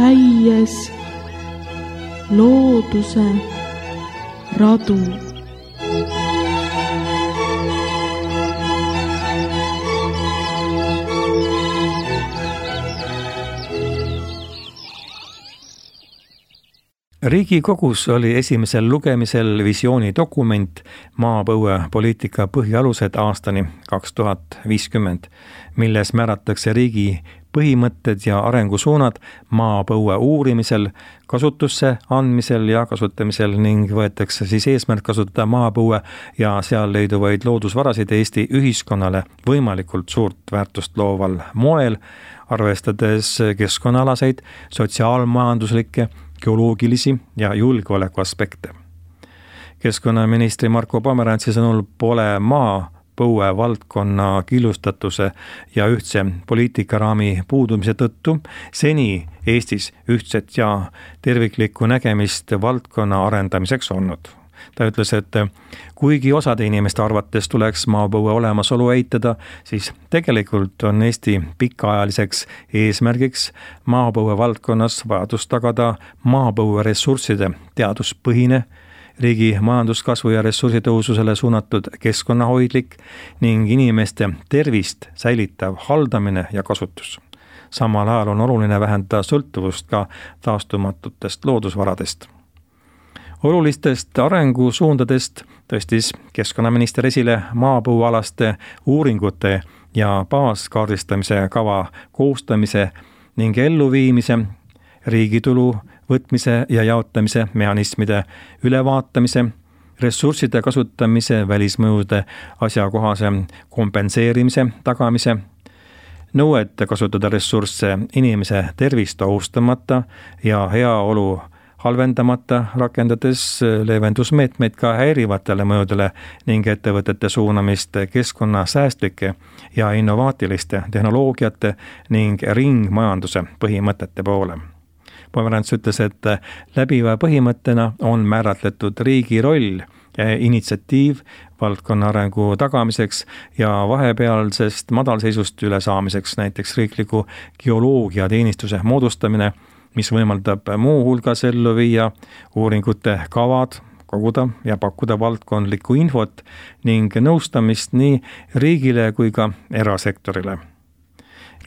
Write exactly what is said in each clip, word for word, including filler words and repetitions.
käies looduse radu. Riigikogus oli esimesel lugemisel visiooni dokument maapõuepoliitika põhialused aastani kaks tuhat viiskümmend, milles määratakse riigi põhimõtted ja arengusuunad maapõue uurimisel, kasutusse andmisel ja kasutamisel ning võetakse siis eesmärk kasutada maapõue ja seal leiduvaid loodusvarasid Eesti ühiskonnale võimalikult suurt väärtust looval moel, arvestades keskkonnaalaseid, sotsiaalmajanduslikke, geoloogilisi ja julgeoleku aspekte. Keskkonnaministri Marko Pomerantsi sõnul pole maapõue valdkonna killustatuse ja ühtse poliitikaraami puudumise tõttu seni Eestis ühtset ja terviklikku nägemist valdkonna arendamiseks olnud. Ta ütles, et kuigi osade inimeste arvates tuleks maapõue olemasolu eitada, siis tegelikult on Eesti pikaajaliseks eesmärgiks maapõue valdkonnas vajadus tagada maapõue ressursside teaduspõhine, riigi majanduskasvu ja ressursitõususele suunatud keskkonnahoidlik ning inimeste tervist säilitav haldamine ja kasutus. Samal ajal on oluline vähendada sõltuvust ka taastumatutest loodusvaradest. Olulistest arengusuundadest tõstis keskkonnaminister esile maapõuealaste uuringute ja baaskaardistamise kava koostamise ning elluviimise, riigitulu võtmise ja jaotamise mehhanismide ülevaatamise, ressursside kasutamise välismõjude asjakohase kompenseerimise tagamise, nõuet kasutada ressursse inimese tervist ohustamata ja heaolu halvendamata, rakendades leevendusmeetmeid ka häirivatele mõjudele ning ettevõtete suunamist keskkonnasäästlike ja innovaatiliste tehnoloogiate ning ringmajanduse põhimõtete poole. Pomerants ütles, et läbiva põhimõttena on määratletud riigi roll ja initsiatiiv valdkonna arengu tagamiseks ja vahepealsest madalseisust ülesaamiseks, näiteks riikliku geoloogiateenistuse moodustamine, mis võimaldab muu hulgas ellu viia uuringute kavad, koguda ja pakkuda valdkondlikku infot ning nõustamist nii riigile kui ka erasektorile.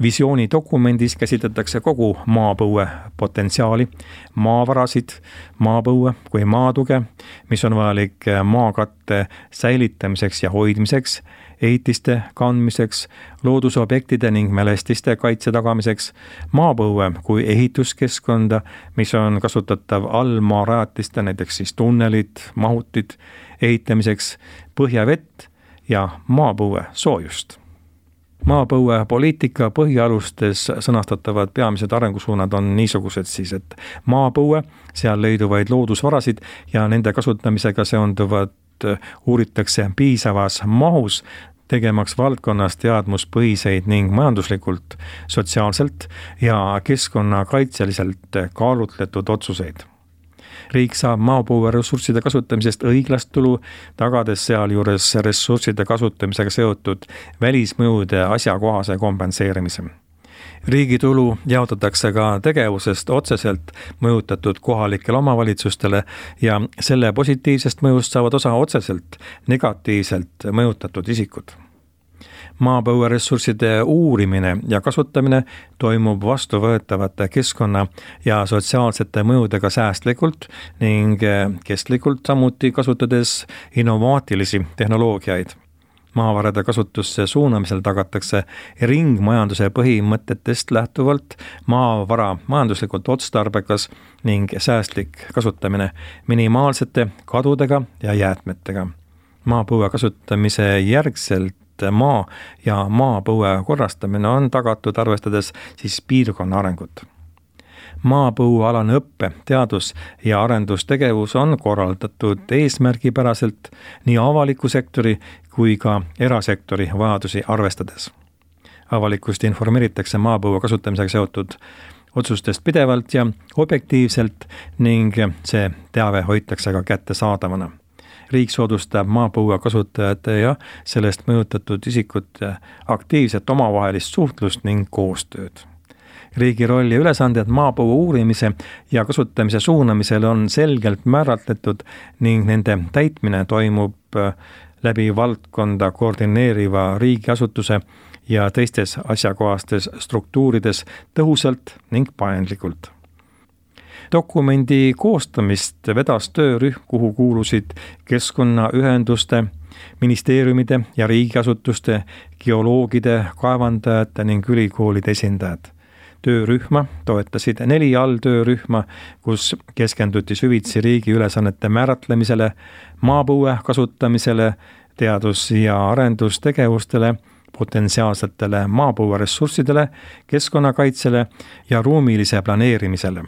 Visiooni dokumendis käsitletakse kogu maapõue potentsiaali, maavarasid, maapõue kui maatuge, mis on vajalik maakatte säilitamiseks ja hoidmiseks, ehitiste kandmiseks, loodusobjektide ning mälestiste kaitse tagamiseks, maapõue kui ehituskeskkonda, mis on kasutatav allmaarajatiste, näiteks siis tunnelid, mahutid, ehitamiseks, põhjavett ja maapõue soojust. Maapõue poliitika põhialustes sõnastatavad peamised arengusuunad on niisugused siis, et maapõue, seal leiduvaid loodusvarasid ja nende kasutamisega seonduvad uuritakse piisavas mahus, tegemaks valdkonnas teadmuspõhiseid ning majanduslikult, sotsiaalselt ja keskkonnakaitseliselt kaalutletud otsuseid. Riik saab maapõue ressursside kasutamisest õiglast tulu, tagades sealjuures ressursside kasutamisega seotud välismõjude asjakohase kompenseerimise. Riigi tulu jaotatakse ka tegevusest otseselt mõjutatud kohalikele omavalitsustele ja selle positiivsest mõjust saavad osa otseselt negatiivselt mõjutatud isikud. Maapõue ressursside uurimine ja kasutamine toimub vastuvõetavate keskkonna ja sotsiaalsete mõjudega säästlikult ning kestlikult, samuti kasutades innovaatilisi tehnoloogiaid. Maavarade kasutusse suunamisel tagatakse ringmajanduse põhimõtetest lähtuvalt maavara majanduslikult otstarbekas ning säästlik kasutamine minimaalsete kadudega ja jäätmetega. Maapõue kasutamise järgselt maa ja maapõue korrastamine on tagatud arvestades siis piirkonna arengut. Maapõuealane õppe, teadus- ja arendustegevus on korraldatud eesmärgipäraselt nii avaliku sektori kui ka erasektori vajadusi arvestades. Avalikkust informeeritakse maapõue kasutamisega seotud otsustest pidevalt ja objektiivselt ning see teave hoitakse ka kättesaadavana. Riik soodustab maapõue kasutajate ja sellest mõjutatud isikute aktiivset omavahelist suhtlust ning koostööd. Riigi roll ja ülesanded maapõue uurimise ja kasutamise suunamisel on selgelt määratletud ning nende täitmine toimub läbi valdkonda koordineeriva riigiasutuse ja teistes asjakohastes struktuurides tõhusalt ning paindlikult. Dokumendi koostamist vedas töörühm, kuhu kuulusid keskkonnaühenduste, ministeeriumide ja riigiasutuste, geoloogide, kaevandajate ning ülikoolide esindajad. Töörühma toetasid neli alltöörühma, kus keskenduti süvitsi riigi ülesannete määratlemisele, maapõue kasutamisele, teadus- ja arendustegevustele, potentsiaalsetele maapõueressurssidele, keskkonnakaitsele ja ruumilise planeerimisele.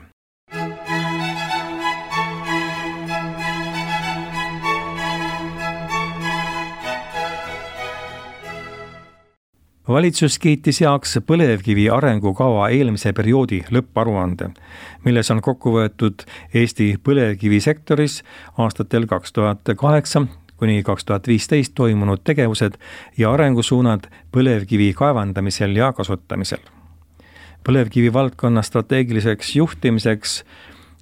Valitsus kiitis heaks põlevkivi arengukava eelmise perioodi lõpparuande, milles on kokku võetud Eesti põlevkivisektoris aastatel kaks tuhat kaheksa kuni kaks tuhat viisteist toimunud tegevused ja arengusuunad põlevkivi kaevandamisel ja kasutamisel. Põlevkivi valdkonna strateegiliseks juhtimiseks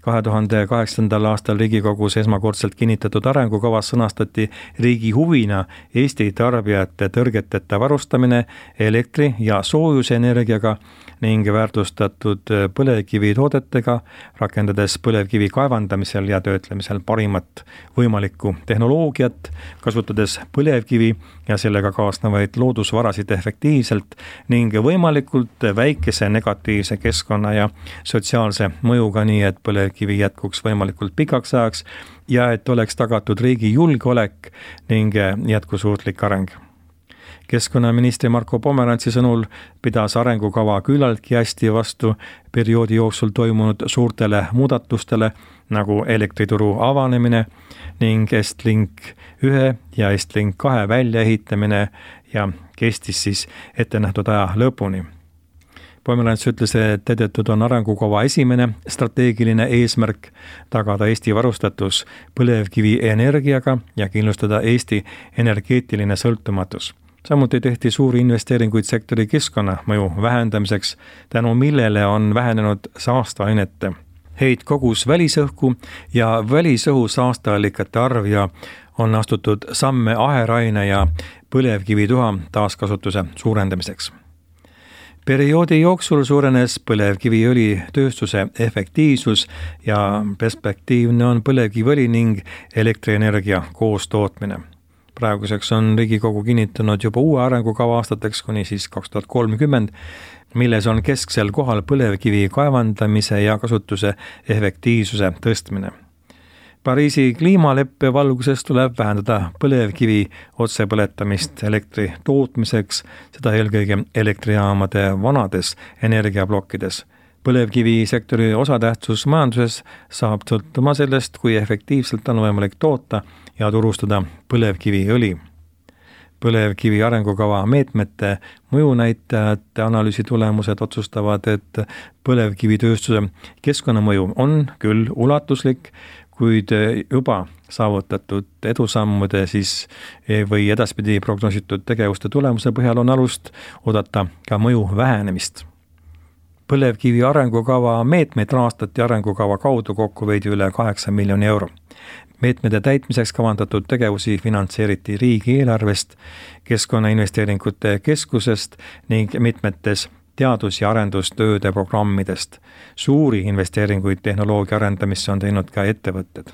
kahe tuhande kaheksandal aastal Riigikogus esmakordselt kinnitatud arengukavas sõnastati riigi huvina Eesti tarbijate tõrgeteta varustamine elektri- ja soojusenergiaga ning väärtustatud põlevkivi toodetega, rakendades põlevkivi kaevandamisel ja töötlemisel parimat võimalikku tehnoloogiat, kasutades põlevkivi ja sellega kaasnevaid loodusvarasid efektiivselt ning võimalikult väikese negatiivse keskkonna ja sotsiaalse mõjuga, nii et põlevkivi jätkuks võimalikult pikaks ajaks ja et oleks tagatud riigi julgeolek ning jätkusuutlik areng. Keskkonnaministri Marko Pomerantsi sõnul pidas arengukava küllaltki hästi vastu perioodi jooksul toimunud suurtele muudatustele nagu elektrituru avanemine ning Estlink ühe ja Estlink kahe väljaehitamine ja kestis siis ette nähtud aja lõpuni. Pomerants ütles, et edetud on arengukava esimene strateegiline eesmärk tagada Eesti varustatus põlevkivi energiaga ja kindlustada Eesti energeetiline sõltumatus. Samuti tehti suuri investeeringuid sektori keskkonnamõju vähendamiseks, tänu millele on vähenenud saasteainete heitkogus välisõhku ja välisõhu saasteallikate arv ja on astutud samme aheraine ja põlevkivituha taaskasutuse suurendamiseks. Perioodi jooksul suurenes põlevkiviõli tööstuse efektiivsus ja perspektiivne on põlevkiviõli ning elektrienergia koostootmine. Praeguseks on Riigikogu kinnitanud juba uue arengukava aastateks kuni siis kaks tuhat kolmkümmend, milles on kesksel kohal põlevkivi kaevandamise ja kasutuse efektiivsuse tõstmine. Pariisi kliimaleppe valguses tuleb vähendada põlevkivi otsepõletamist elektri tootmiseks, seda eelkõige elektrijaamade vanades energiablokkides. Põlevkivisektori osatähtsus majanduses saab sõltuma sellest, kui efektiivselt on võimalik toota ja turustada põlevkiviõli. Põlevkivi arengukava meetmete mõjunäitajate analüüsi tulemused otsustavad, et põlevkivitööstuse keskkonnamõju on küll ulatuslik, kuid juba saavutatud edusammude siis või edaspidi prognoositud tegevuste tulemuse põhjal on alust oodata ka mõju vähenemist. Põlevkivi arengukava meetmeid rahastati arengukava kaudu kokku veidi üle kaheksa miljoni euro. Meetmete täitmiseks kavandatud tegevusi finantseeriti riigieelarvest, keskkonnainvesteeringute keskusest ning mitmetes teadus- ja arendustööde programmidest. Suuri investeeringuid tehnoloogia arendamisse on teinud ka ettevõtted.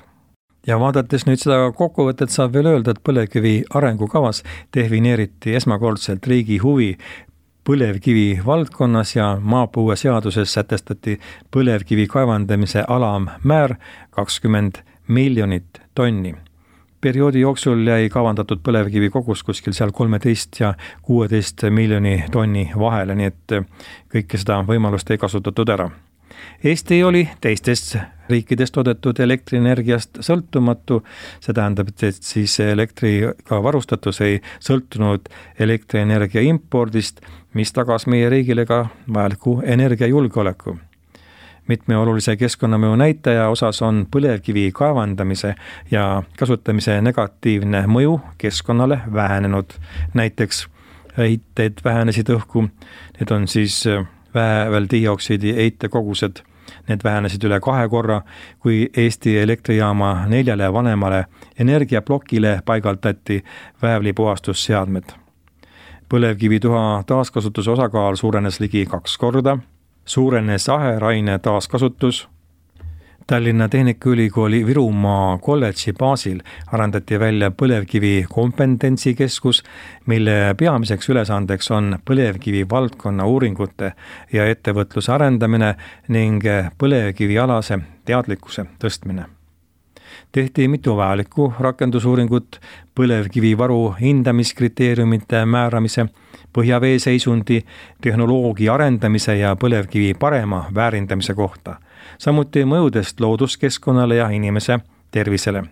Ja vaadates nüüd seda kokkuvõtet saab veel öelda, et põlevkivi arengukavas defineeriti esmakordselt riigi huvi põlevkivi valdkonnas ja maapõue seaduses sätestati põlevkivi kaevandamise alammäär kakskümmend miljonit tonni. Perioodi jooksul jäi kavandatud põlevkivi kogus kuskil seal kolmeteist ja kuueteist miljoni tonni vahele, nii et kõike seda võimalust ei kasutatud ära. Eesti oli teistest riikidest toodetud elektrienergiast sõltumatu, see tähendab, et siis elektriga varustatus ei sõltunud elektrienergia impordist, mis tagas meie riigile ka vajaliku energiajulgeoleku. Mitme olulise keskkonnamõju näitaja osas on põlevkivi kaevandamise ja kasutamise negatiivne mõju keskkonnale vähenenud. Näiteks heiteid vähenesid õhku, need on siis vääveldioksiidi heitekogused. Need vähenesid üle kahe korra, kui Eesti elektrijaama neljale vanemale energiaplokile paigaldati väävlipuhastusseadmed. Põlevkivituha taaskasutuse osakaal suurenes ligi kaks korda, suurenes aheraine taaskasutus. Tallinna Tehnikaülikooli Virumaa kolledži baasil arendati välja põlevkivi kompetentsikeskus, mille peamiseks ülesandeks on põlevkivi valdkonna uuringute ja ettevõtluse arendamine ning põlevkivialase teadlikkuse tõstmine. Tehti mitu vajalikku rakendusuuringut põlevkivivaru hindamiskriteeriumite määramise, põhjavee seisundi, tehnoloogia arendamise ja põlevkivi parema väärindamise kohta, samuti mõjudest looduskeskkonnale ja inimese tervisele.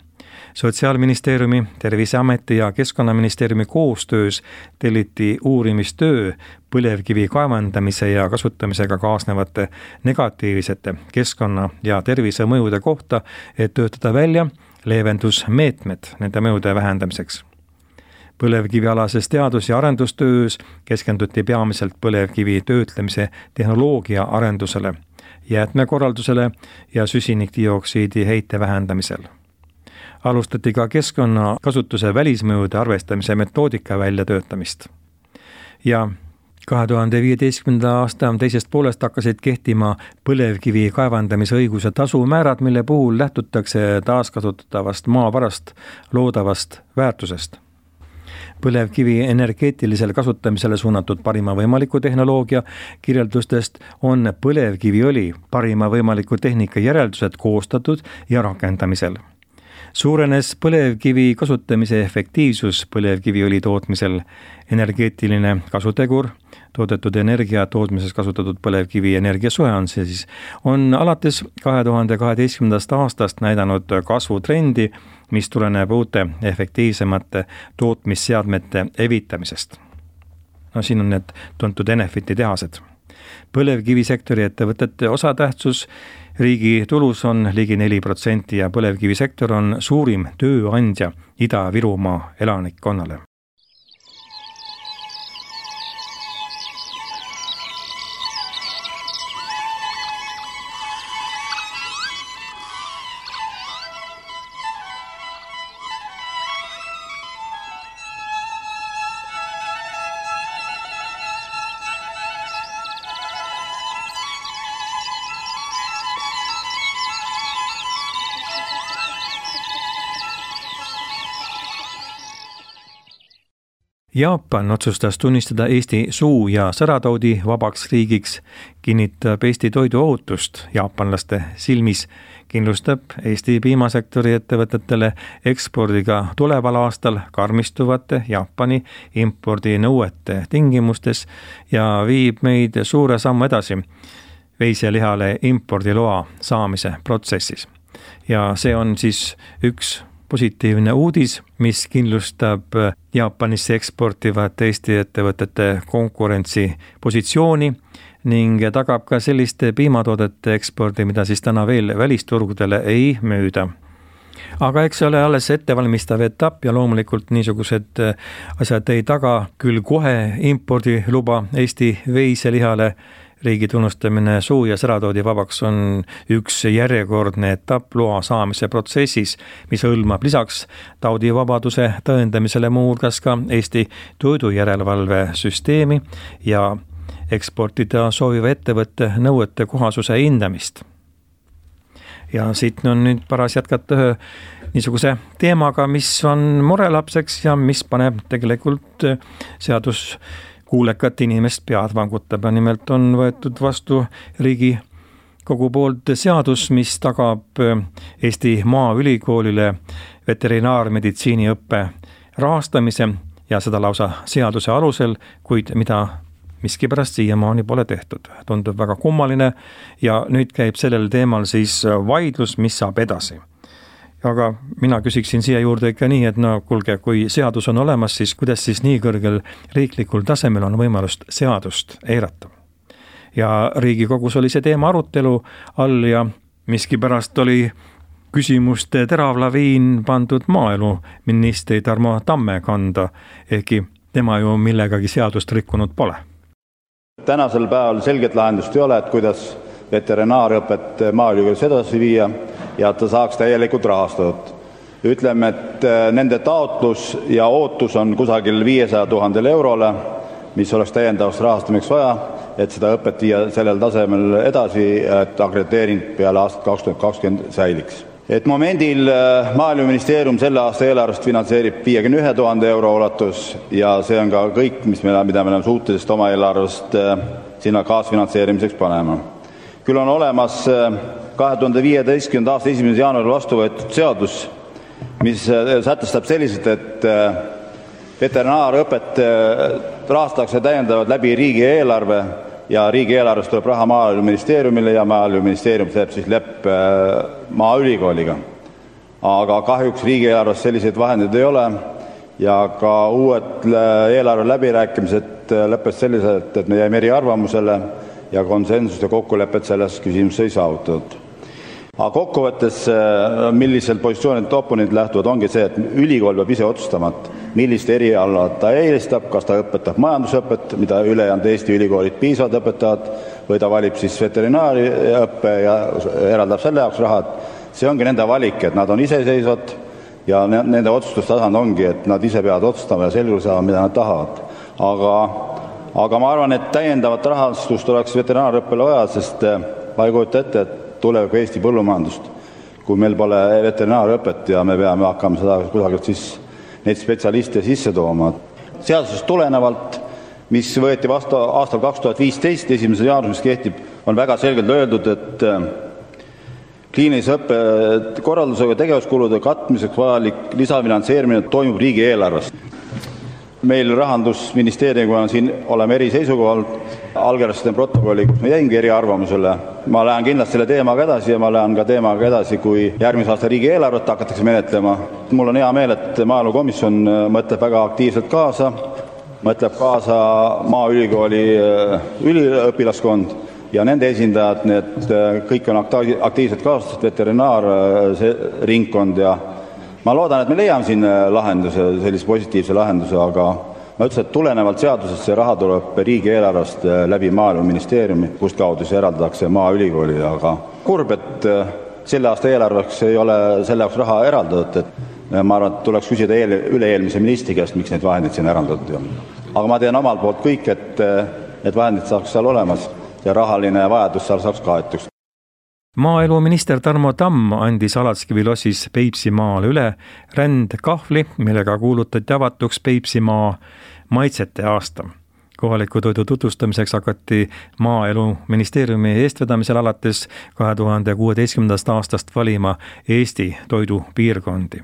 Sotsiaalministeeriumi, Terviseameti ja Keskkonnaministeeriumi koostöös telliti uurimistöö põlevkivi kaevandamise ja kasutamisega kaasnevate negatiivsete keskkonna- ja tervisemõjude kohta, et töötada välja leevendusmeetmed nende mõjude vähendamiseks. Põlevkivialases teadus- ja arendustöös keskenduti peamiselt põlevkivi töötlemise tehnoloogia arendusele, jäätmekorraldusele ja süsinikdioksiidi heite vähendamisel. Alustati ka keskkonnakasutuse välismõjude arvestamise metoodika väljatöötamist. Ja kahe tuhande viieteistkümnenda aasta teisest poolest hakkasid kehtima põlevkivi kaevandamise õiguse tasumäärad, mille puhul lähtutakse taaskasutatavast maavarast loodavast väärtusest. Põlevkivi energeetilisele kasutamisele suunatud parima võimaliku tehnoloogia kirjeldustest on põlevkiviõli parima võimaliku tehnika järeldused koostatud ja rakendamisel. Suurenes põlevkivi kasutamise efektiivsus põlevkiviõli tootmisel, energeetiline kasutegur, toodetud energia tootmises kasutatud põlevkivi energiasoe on see siis, on alates kahe tuhande kaheteistkümnendast aastast näidanud kasvutrendi, mis tuleneb uute efektiivsemate tootmisseadmete evitamisest. No siin on need tuntud Enefiti tehased. Põlevkivisektori ettevõtete osatähtsus riigi tulus on ligi neli protsenti ja põlevkivisektor on suurim tööandja Ida-Virumaa elanikkonnale. Jaapan otsustas tunnistada Eesti suu- ja sõrataudi vabaks riigiks, kinnitab Eesti toiduohutust jaapanlaste silmis, kindlustab Eesti piimasektori ettevõtetele ekspordiga tuleval aastal karmistuvate Jaapani impordinõuete tingimustes ja viib meid suure sammu edasi veiselihale impordiloa saamise protsessis. Ja see on siis üks positiivne uudis, mis kindlustab Jaapanisse eksportivat Eesti ettevõtete konkurentsipositsiooni ning tagab ka selliste piimatoodete ekspordi, mida siis täna veel välisturgudele ei müüda. Aga eks ole alles ettevalmistav etapp ja loomulikult niisugused asjad ei taga küll kohe impordiluba Eesti veiselihale. Riigi tunnustamine suu- ja sõrataudi vabaks on üks järjekordne etapp loa saamise protsessis, mis hõlmab lisaks taudivabaduse tõendamisele muu hulgas ka Eesti toidujärelevalvesüsteemi ja eksportida sooviva ettevõtte nõuete kohasuse hindamist. Ja siit on nüüd paras jätkata ühe niisuguse teemaga, mis on murelapseks ja mis paneb tegelikult seadus kuulekat inimest pead vangutab. Nimelt on võetud vastu riigi kogu poolt seadus, mis tagab Eesti Maaülikoolile veterinaarmeditsiiniõppe rahastamise ja seda lausa seaduse alusel, kuid mida miskipärast siiamaani pole tehtud. Tundub väga kummaline ja nüüd käib sellel teemal siis vaidlus, mis saab edasi. Aga mina küsiksin siia juurde ikka nii, et no kuulge, kui seadus on olemas, siis kuidas siis nii kõrgel riiklikul tasemel on võimalust seadust eirata. Ja Riigikogus oli see teema arutelu all ja miskipärast oli küsimuste teravlaviin pandud maaeluministri Tarmo Tamme kanda, ehkki tema ju millegagi seadust rikkunud pole. Tänasel päeval selget lahendust ei ole, et kuidas veterinaarõpet Maaülikoolis edasi viia ja ta saaks täielikult rahastatud. Ütleme, et nende taotlus ja ootus on kusagil viiesaja tuhande eurole, mis oleks täiendavaks rahastamiseks vaja, et seda õpet viia sellel tasemel edasi, et akrediteering peale aastat kaks tuhat kakskümmend säiliks. Et momendil Maaeluministeerium selle aasta eelarvest finantseerib viiekümne ühe tuhande euro ulatus ja see on ka kõik, mis me, mida me oleme suutelised oma eelarvest sinna kaasfinantseerimiseks panema. Küll on olemas kahe tuhande viieteistkümnenda aasta esimesel jaanuaril vastu võetud seadus, mis sätestab selliselt, et veterinaarõpet rahastatakse täiendavalt läbi riigieelarve ja riigieelarvest tuleb raha Maaeluministeeriumile ja Maaeluministeerium teeb siis leppe Maaülikooliga. Aga kahjuks riigieelarvest selliseid vahendeid ei ole ja ka uued eelarve läbirääkimised lõppes selliselt, et me jäime eri arvamusele ja konsensust ja kokkulepet selles küsimuses ei saavutatud. Aga kokkuvõttes, millisel positsioonid oponendid lähtuvad, ongi see, et ülikool peab ise otsustama, millist eriala ta eelistab, kas ta õpetab majandusõpet, mida ülejäänud Eesti ülikoolid piisavad õpetavad, või ta valib siis veterinaariõppe ja eraldab selle jaoks rahad. See ongi nende valik, et nad on iseseisvad ja nende otsustustasand ongi, et nad ise peavad otsustama ja selguse saama, mida nad tahavad. Aga, aga ma arvan, et täiendavat rahastust oleks veterinaarõppele vaja, sest ma ei kujuta ette, et tuleb Eesti põllumajandust, kui meil pole veterinaarõpet ja me peame hakkama seda kusagilt siis neid spetsialiste sisse tooma. Seadusest tulenevalt, mis võeti vastu aastal kaks tuhat viisteist, esimesel jaanuaril, mis kehtib, on väga selgelt öeldud, et kliinilise õppe korraldusega tegevuskulude katmiseks vajalik lisafinantseerimine toimub riigieelarvest. Meil Rahandusministeeriumiga on siin oleme eri seisukohal, allkirjastasin protokolli, kus ma jäingi eri arvamusele. Ma lähen kindlasti selle teemaga edasi ja ma lähen ka teemaga edasi, kui järgmise aasta riigieelarvet hakatakse menetlema. Mul on hea meel, et Maaelukomisjon mõtleb väga aktiivselt kaasa, mõtleb kaasa Maaülikooli üliõpilaskond ja nende esindajad, need kõik on aktiivselt kaasatud, veterinaarringkond ja ma loodan, et me leiame siin lahenduse, sellise positiivse lahenduse, aga ma ütlesin, et tulenevalt seadusest see raha tuleb riigieelarvest läbi Maaeluministeeriumi, kust kaudu see eraldatakse Maaülikooli, aga kurb, et selle aasta eelarveks ei ole selle jaoks raha eraldatud, et ma arvan, et tuleks küsida eel, üle-eelmise ministri käest, miks neid vahendeid siin eraldatud on. Aga ma teen omalt poolt kõik, et need vahendid saaks seal olemas ja rahaline vajadus seal saaks kaetuks. Maaeluminister Tarmo Tamm andis Alatskivi lossis Peipsimaale üle rändkahvli, millega kuulutati avatuks Peipsimaa maitsete aasta. Kohaliku toidu tutvustamiseks hakati Maaeluministeeriumi eestvedamisel alates kahe tuhande kuueteistkümnendast aastast valima Eesti toidupiirkondi.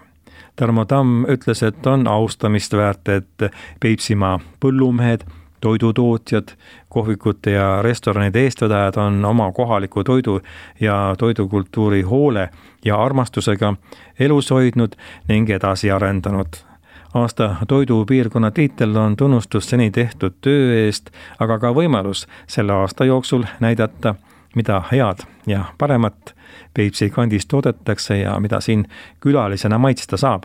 Tarmo Tamm ütles, et on austamist väärt, et Peipsimaa põllumehed, toidutootjad, kohvikute ja restoranide eestvedajad on oma kohaliku toidu ja toidukultuuri hoole ja armastusega elus hoidnud ning edasi arendanud. Aasta toidupiirkonna tiitel on tunnustus seni tehtud töö eest, aga ka võimalus selle aasta jooksul näidata, mida head ja paremat Peipsi kandis toodetakse ja mida siin külalisena maitsta saab.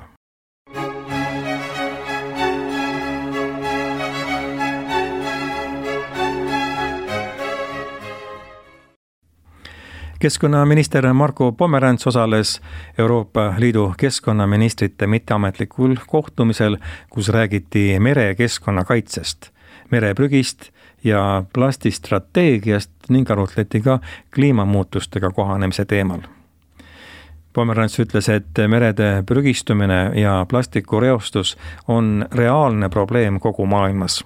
Keskkonnaminister Marko Pomerants osales Euroopa Liidu keskkonnaministrite mitteametlikul kohtumisel, kus räägiti merekeskkonna kaitsest, mereprügist ja plastistrateegiast ning arutleti ka kliimamuutustega kohanemise teemal. Pomerants ütles, et merede prügistumine ja plastikureostus on reaalne probleem kogu maailmas.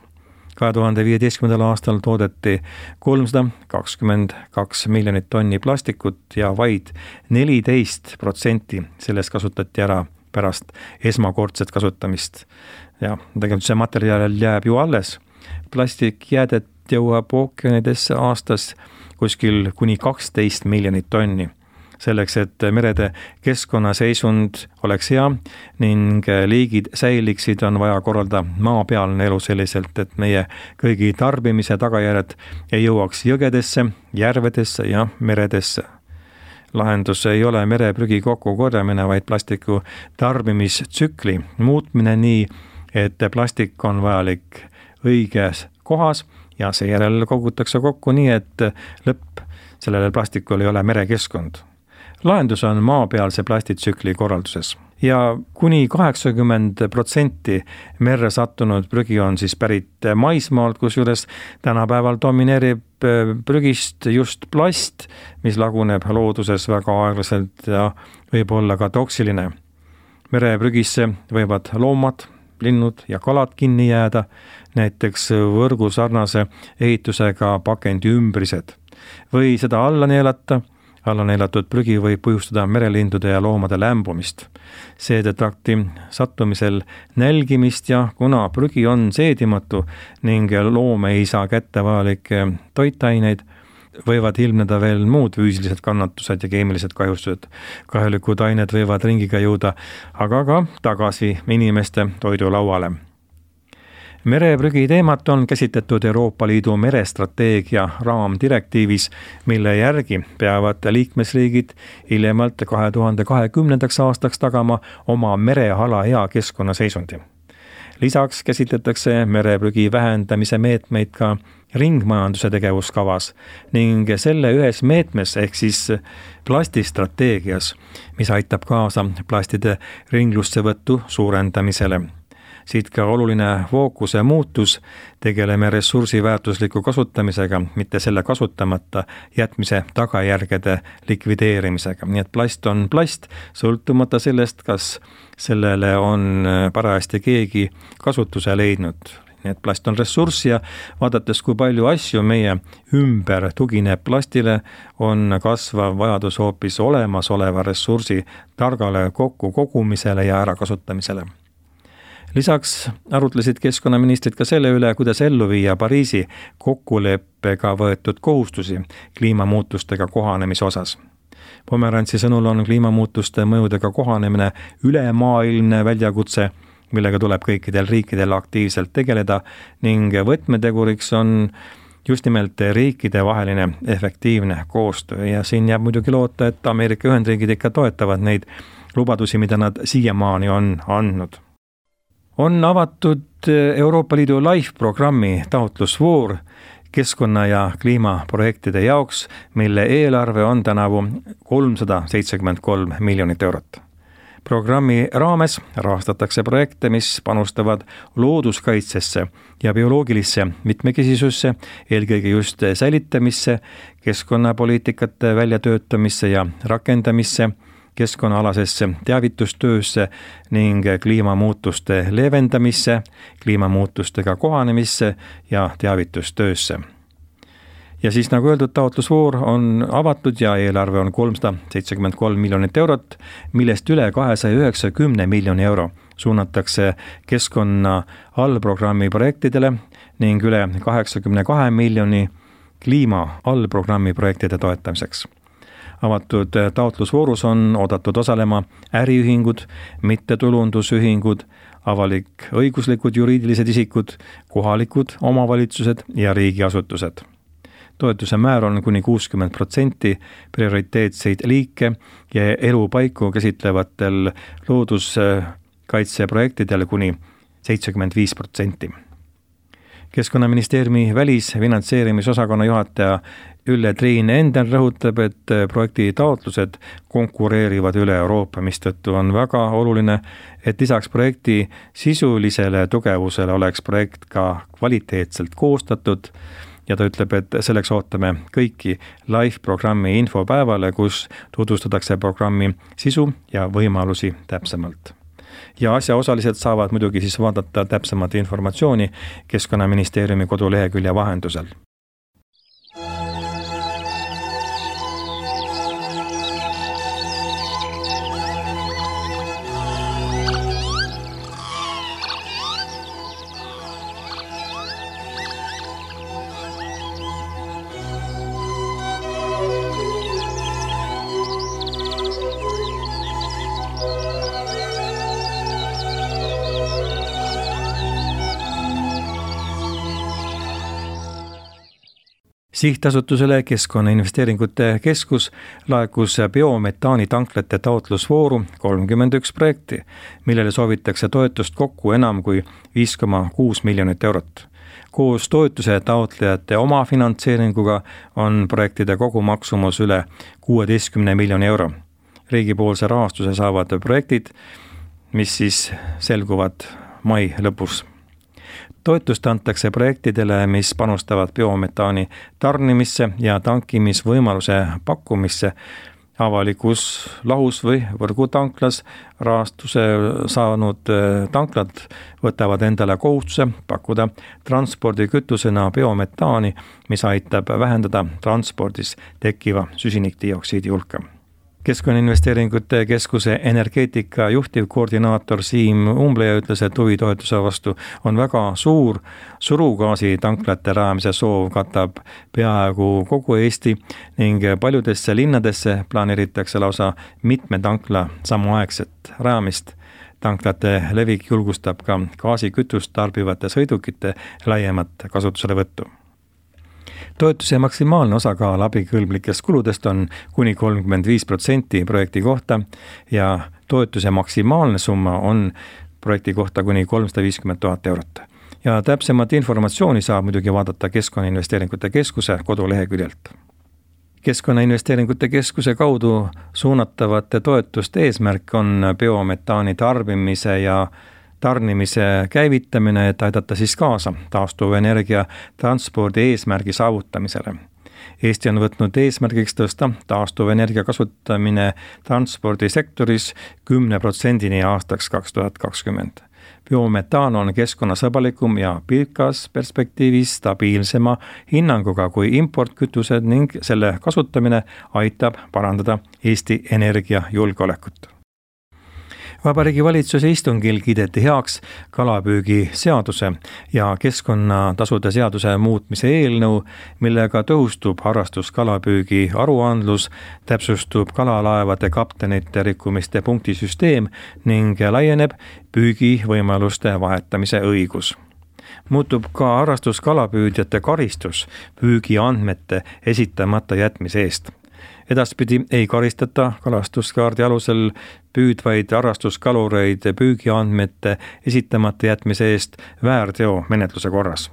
kahe tuhande viieteistkümnendal aastal toodeti kolmsada kakskümmend kaks miljonit tonni plastikut ja vaid neliteist protsenti sellest kasutati ära pärast esmakordset kasutamist. Ja tegelikult see materjal jääb ju alles. Plastikjäädet jõuab ookeanidesse aastas kuskil kuni kaksteist miljonit tonni. Selleks, et merede keskkonnaseisund oleks hea ning liigid säiliksid, on vaja korralda maapealne elu selliselt, et meie kõigi tarbimise tagajärjed ei jõuaks jõgedesse, järvedesse ja meredesse. Lahendus ei ole mereprügi kokkukorjamine, vaid plastiku tarbimistsükli muutmine nii, et plastik on vajalik õiges kohas ja seejärel kogutakse kokku nii, et lõpp sellele plastikul ei ole merekeskkond. Lahendus on maapealse plastitsükli korralduses ja kuni kaheksakümmend protsenti merre sattunud prügi on siis pärit maismaalt, kusjuures tänapäeval domineerib prügist just plast, mis laguneb looduses väga aeglaselt ja võib olla ka toksiline. Mereprügisse võivad loomad, linnud ja kalad kinni jääda, näiteks võrgu sarnase ehitusega pakendi ümbrised. Või seda alla neelata, alla neelatud prügi võib põhjustada merelindude ja loomade lämbumist, seedetrakti sattumisel nälgimist ja kuna prügi on seedimatu ning loom ei saa kätte vajalikke toitaineid, võivad ilmneda veel muud füüsilised kannatused ja keemilised kahjustused. Kahjulikud ained võivad ringiga jõuda, aga ka tagasi inimeste toidulauale. Mereprügi teemat on käsitletud Euroopa Liidu merestrateegia raamdirektiivis, mille järgi peavad liikmesriigid hiljemalt kahe tuhande kahekümnendaks aastaks tagama oma mereala hea keskkonnaseisundi. Lisaks käsitletakse mereprügi vähendamise meetmeid ka ringmajanduse tegevuskavas ning selle ühes meetmes ehk siis plastistrateegias, mis aitab kaasa plastide ringlussevõttu suurendamisele. Siit ka oluline fookuse muutus, tegeleme ressursi väärtusliku kasutamisega, mitte selle kasutamata jätmise tagajärgede likvideerimisega. Nii et plast on plast, sõltumata sellest, kas sellele on parajasti keegi kasutuse leidnud. Nii et plast on ressurss ja vaadates, kui palju asju meie ümber tugineb plastile, on kasvav vajadus hoopis olemasoleva ressursi targale kokku kogumisele ja ärakasutamisele. Lisaks arutlesid keskkonnaministrid ka selle üle, kuidas ellu viia Pariisi kokkuleppega võetud kohustusi kliimamuutustega kohanemise osas. Pomerantsi sõnul on kliimamuutuste mõjudega kohanemine ülemaailmne väljakutse, millega tuleb kõikidel riikidel aktiivselt tegeleda ning võtmeteguriks on just nimelt riikide vaheline efektiivne koostöö ja siin jääb muidugi loota, et Ameerika Ühendriigid ikka toetavad neid lubadusi, mida nad siiamaani on andnud. On avatud Euroopa Liidu LIFE-programmi taotlusvoor keskkonna- ja kliimaprojektide jaoks, mille eelarve on tänavu kolmsada seitsekümmend kolm miljonit eurot. Programmi raames rahastatakse projekte, mis panustavad looduskaitsesse ja bioloogilisse mitmekesisusse, eelkõige just säilitamisse, keskkonnapoliitikate väljatöötamisse ja rakendamisse, keskkonnaalasesse teavitustöösse ning kliimamuutuste leevendamisse, kliimamuutustega kohanemisse ja teavitustöösse. Ja siis nagu öeldud, taotlusvoor on avatud ja eelarve on kolmsada seitsekümmend kolm miljonit eurot, millest üle kahesaja üheksakümne miljoni euro suunatakse keskkonna allprogrammi projektidele ning üle kaheksakümne kahe miljoni kliima allprogrammi projektide toetamiseks. Avatud taotlusvoorus on oodatud osalema äriühingud, mittetulundusühingud, avalik õiguslikud juriidilised isikud, kohalikud omavalitsused ja riigiasutused. Toetuse määr on kuni kuuskümmend protsenti prioriteetseid liike ja elupaiku käsitlevatel looduskaitseprojektidel kuni seitsekümmend viis protsenti. Keskkonnaministeeriumi välisfinantseerimisosakonna juhataja Ülle Triin Enden rõhutab, et projekti taotlused konkureerivad üle Euroopa, mistõttu on väga oluline, et lisaks projekti sisulisele tugevusele oleks projekt ka kvaliteetselt koostatud ja ta ütleb, et selleks ootame kõiki LIFE-programmi infopäevale, kus tutvustatakse programmi sisu ja võimalusi täpsemalt. Ja asjaosalised saavad muidugi siis vaadata täpsemat informatsiooni Keskkonnaministeeriumi kodulehekülje vahendusel. Sihtasutusele Keskkonnainvesteeringute Keskus laekus biometaani tanklate taotlusvooru kolmkümmend üks projekti, millele soovitakse toetust kokku enam kui viis koma kuus miljonit eurot. Koos toetuse taotlejate oma finantseeringuga on projektide kogumaksumus üle kuueteistkümne miljoni euro. Riigipoolse rahastuse saavad projektid, mis siis selguvad mai lõpus. Toetust antakse projektidele, mis panustavad biometaani tarnimisse ja tankimisvõimaluse pakkumisse avalikus lahus või võrgutanklas. Rahastuse saanud tanklad võtavad endale kohustuse pakkuda transpordikütusena biometaani, mis aitab vähendada transpordis tekkiva süsinikdioksiidi hulka. Keskkonnainvesteeringute Keskuse energeetika juhtivkoordinaator Siim Umbleja ütles, et huvitoetuse vastu on väga suur. Surugaasi tanklate rajamise soov katab peaaegu kogu Eesti ning paljudesse linnadesse planeeritakse lausa mitme tankla samaaegset rajamist. Tanklate levik julgustab ka gaasikütust tarbivate sõidukite laiemat kasutuselevõttu. Toetuse maksimaalne osakaal abikõlblikest kuludest on kuni kolmkümmend viis protsenti projekti kohta ja toetuse maksimaalne summa on projekti kohta kuni kolmsada viiskümmend tuhat eurot. Ja täpsemat informatsiooni saab muidugi vaadata Keskkonnainvesteeringute Keskuse koduleheküljelt. Keskkonnainvesteeringute Keskuse kaudu suunatavate toetuste eesmärk on biometaani tarbimise ja tarnimise käivitamine, et aidata siis kaasa taastuvenergia transpordi eesmärgi saavutamisele. Eesti on võtnud eesmärgiks tõsta taastuvenergia kasutamine transpordisektoris kümne protsendini aastaks kaks tuhat kakskümmend. Biometaan on keskkonnasõbralikum ja pikas perspektiivis stabiilsema hinnanguga kui importkütused ning selle kasutamine aitab parandada Eesti energiajulgeolekut. Vabariigi valitsuse istungil kiideti heaks kalapüügi seaduse ja keskkonnatasude seaduse muutmise eelnõu, millega tõhustub harrastuskalapüügi aruandlus, täpsustub kalalaevade kaptenite rikkumiste punktisüsteem ning laieneb püügivõimaluste vahetamise õigus. Muutub ka harrastuskalapüüdjate karistus püügiandmete esitamata jätmise eest. Edaspidi ei karistata kalastuskaardi alusel püüdvaid harrastuskalureid püügiandmete esitamata jätmise eest väärteo menetluse korras.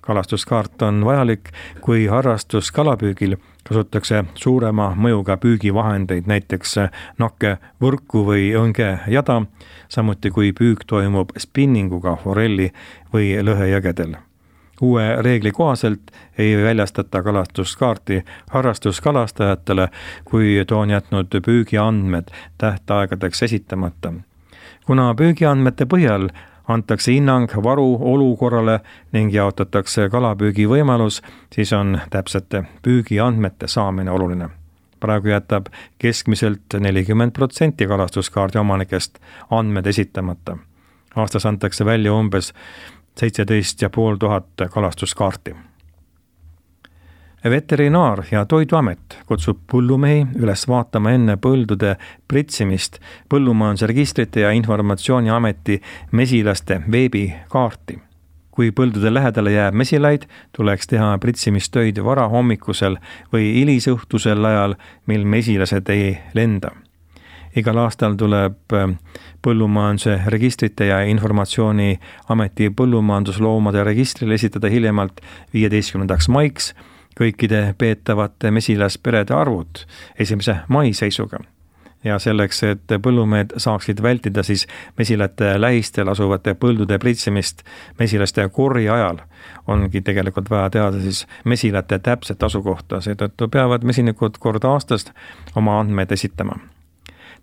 Kalastuskaart on vajalik, kui harrastuskalapüügil kasutatakse suurema mõjuga püügivahendeid, näiteks nakke võrku või õnge jada, samuti kui püük toimub spinninguga forelli või lõhejõgedel. Uue reegli kohaselt ei väljastata kalastuskaarti harrastuskalastajatele, kui too on jätnud püügiandmed tähtaegadeks esitamata. Kuna püügiandmete põhjal antakse hinnang varu olukorrale ning jaotatakse kalapüügi võimalus, siis on täpsete püügiandmete saamine oluline. Praegu jätab keskmiselt nelikümmend protsenti kalastuskaardi omanikest andmed esitamata. Aastas antakse välja umbes seitseteist ja pool tuhat kalastuskaarti. Veterinaar- ja Toiduamet kutsub põllumehi üles vaatama enne põldude pritsimist Põllumajandusregistrite ja Informatsiooniameti mesilaste veebikaarti. Kui põldude lähedale jääb mesilaid, tuleks teha pritsimistöid varahommikusel või hilisõhtusel ajal, mil mesilased ei lenda. Igal aastal tuleb Põllumajanduse registrite ja Informatsiooniameti põllumajandusloomade registril esitada hiljemalt viieteistkümnendaks maiks kõikide peetavate mesilasperede arvud esimese mai seisuga. Ja selleks, et põllumehed saaksid vältida siis mesilate lähistel asuvate põldude pritsimist mesilaste korri ajal, ongi tegelikult vaja teada siis mesilate täpset asukohta, seetõttu peavad mesinikud kord aastast oma andmeid esitama.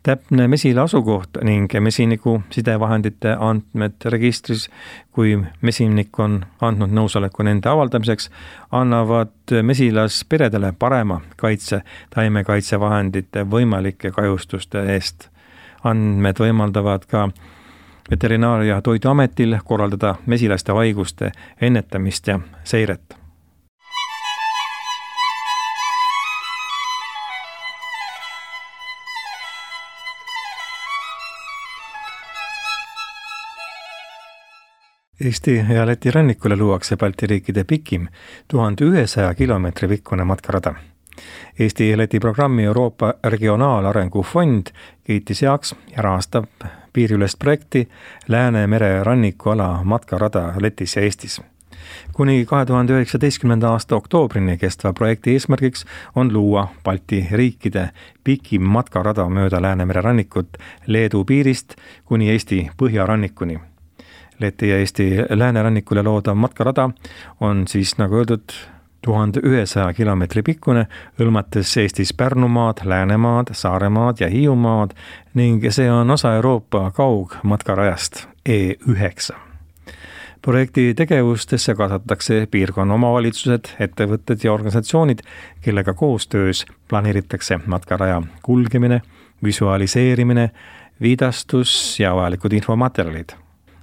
Täpne mesila asukoht ning mesiniku sidevahendite andmed registris, kui mesinik on andnud nõusoleku nende avaldamiseks, annavad mesilasperedele parema kaitse taimekaitsevahendite võimalike kahjustuste eest. Andmed võimaldavad ka Veterinaar- ja Toiduametil korraldada mesilaste haiguste ennetamist ja seiret. Eesti ja Läti rannikule luuakse Balti riikide pikim tuhande ühesaja kilomeetri pikkune matkarada. Eesti ja Läti programmi Euroopa Regionaalarengu Fond kiitis heaks ja rahastab piiriülest projekti Läänemere rannikuala matkarada Lätis ja Eestis. Kuni kahe tuhande üheksateistkümnenda aasta oktoobrini kestva projekti eesmärgiks on luua Balti riikide pikim matkarada mööda Läänemere rannikut Leedu piirist kuni Eesti põhjarannikuni. Läti ja Eesti läänerannikule loodav matkarada on siis, nagu öeldud, tuhande ühesaja kilomeetri pikkune, hõlmates Eestis Pärnumaad, Läänemaad, Saaremaad ja Hiiumaad ning see on osa Euroopa kaugmatkarajast E üheksa. Projekti tegevustesse kaasatakse piirkonna omavalitsused, ettevõtted ja organisatsioonid, kellega koostöös planeeritakse matkaraja kulgemine, visualiseerimine, viidastus ja vajalikud infomaterjalid.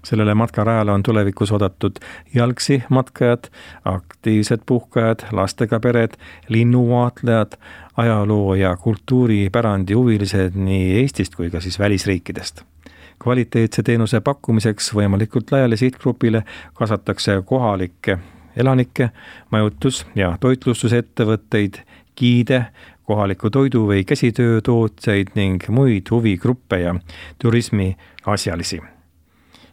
Sellele matkarajale on tulevikus oodatud jalgsi matkajad, aktiivsed puhkajad, lastega pered, linnuvaatlejad, ajaloo ja kultuuripärandi huvilised nii Eestist kui ka siis välisriikidest. Kvaliteetse teenuse pakkumiseks võimalikult laiale sihtgrupile kaasatakse kohalikke elanikke, majutus- ja toitlustusettevõtteid, giide, kohaliku toidu- või käsitöötootjaid ning muid huvigruppe ja turismi asjalisi.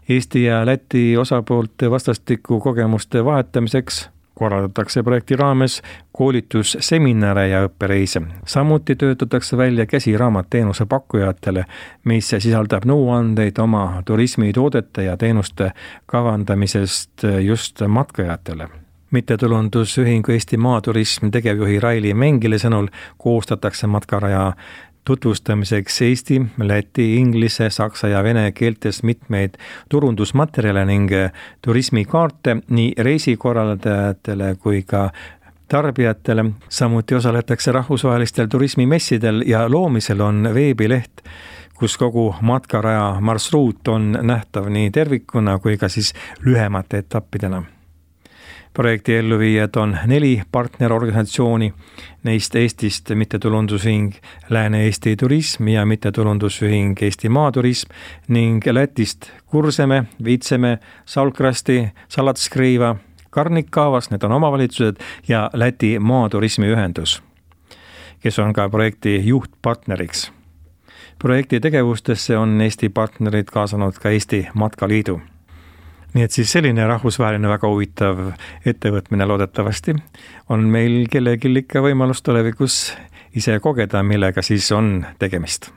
Eesti ja Läti osapoolte vastastiku kogemuste vahetamiseks korraldatakse projekti raames koolitusseminare ja õppereise. Samuti töötatakse välja käsiraamat teenuse pakkujatele, mis sisaldab nõuandeid oma turismitoodete ja teenuste kavandamisest just matkajatele. Mittetulundusühingu Eesti Maaturism tegevjuhi Raili Mengile sõnul koostatakse matkaraja tutvustamiseks eesti, läti, inglise, saksa ja vene keeltes mitmeid turundusmaterjale ning turismikaarte nii reisikorraldajatele kui ka tarbijatele. Samuti osaletakse rahvusvahelistel turismimessidel ja loomisel on veebileht, kus kogu matkaraja marsruut on nähtav nii tervikuna kui ka siis lühemate etappidena. Projekti elluviijad on neli partnerorganisatsiooni, neist Eestist mittetulundusühing Lääne-Eesti Turism ja mittetulundusühing Eesti Maaturism ning Lätist Kurseme, Viitseme, Salkrasti, Salatskriiva, Karnikaavas, need on omavalitsused, ja Läti Maaturismiühendus, kes on ka projekti juhtpartneriks. Projekti tegevustesse on Eesti partnerid kaasanud ka Eesti Matkaliidu. Nii et siis selline rahvusvaheline väga huvitav ettevõtmine loodetavasti on meil kellelgi ikka võimalus tulevikus ise kogeda, millega siis on tegemist.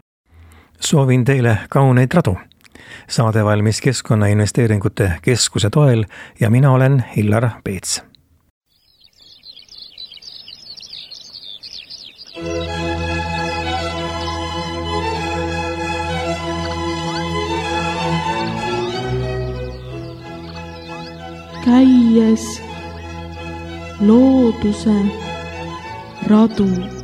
Soovin teile kauneid radu. Saade valmis Keskkonnainvesteeringute Keskuse toel ja mina olen Hillar Peets. Käies looduse radu.